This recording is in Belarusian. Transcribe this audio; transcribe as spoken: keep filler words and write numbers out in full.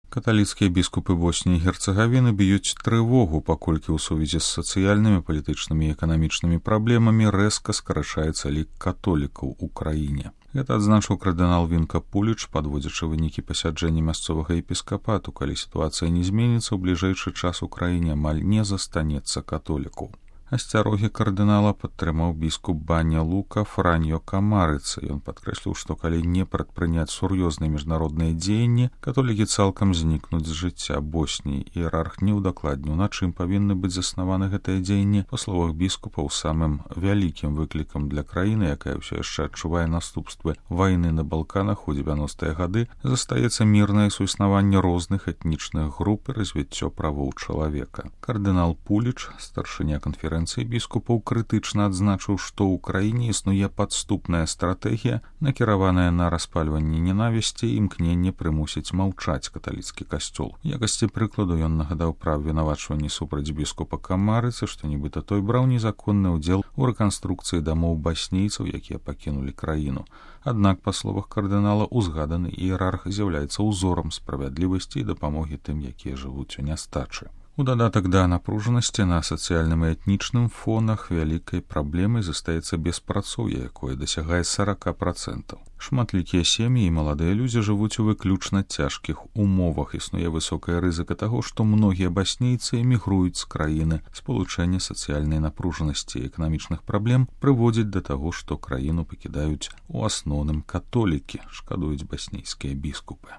Каталіцкія біскупы Босніі і Герцагавіны б'юць трывогу, паколькі ў сувязі з сацыяльнымі, палітычнымі і эканамічнымі праблемамі рэзка скарачаецца лік католікаў у краіне. Гэта адзначыў кардынал Вінка Пуліч, падводзячы вынікі пасяджэння мясцовага епіскапату, калі сітуацыя не зменіцца, у бліжэйшы час у краіне амаль не застанецца католікаў. Асцярогі кардынала падтрымаў біскуп Баня Лука Франьо Камарыца. Ён падкрэсліў, што калі не прадпрыняць сур'ёзныя міжнародныя дзеянні, католікі цалкам знікнуць з жыцця Босніі. Іерарх не ўдакладніў, на чым павінны быць заснаваны гэтыя дзеянні. Па словах біскупаў, самым вялікім выклікам для краіны, якая ўсё яшчэ адчувае наступствы вайны на Балканах у дзевяностыя гады, застаецца мірнае суіснаванне розных этнічных груп і развіццё правоў чалавека. Кардынал Пуліч, старшыня канферэнцыі біскупаў, крытычна адзначыў, што ў краіне існуе падступная стратэгія, накіраваная на распальванне ненавісці і імкненне прымусіць маўчаць каталіцкі касцёл. У якасці прыкладу ён нагадаў пра абвінавачванні супраць біскупа Камарыцы, што нібыта той браў незаконны ўдзел у рэканструкцыі дамоў баснійцаў, якія пакінулі краіну. Аднак, па словах кардынала, узгаданы іерарх з'яўляецца ўзорам справядлівасці і дапамогі тым, якія жывуць у нястачы. У дадатак да напружанасці на сацыяльным і этнічным фонах вялікай праблемай застаецца беспрацоўе, якое дасягае сорок процентаў. Шматлікія сем'і і маладыя людзі жывуць у выключна цяжкіх умовах. Існуе высокая рызыка таго, што многія баснійцы эмігруюць з краіны. Спалучэнне сацыяльнай напружанасці і эканамічных праблем прыводзіць да таго, што краіну пакідаюць у асноўным католікі, шкадуюць баснійскія біскупы.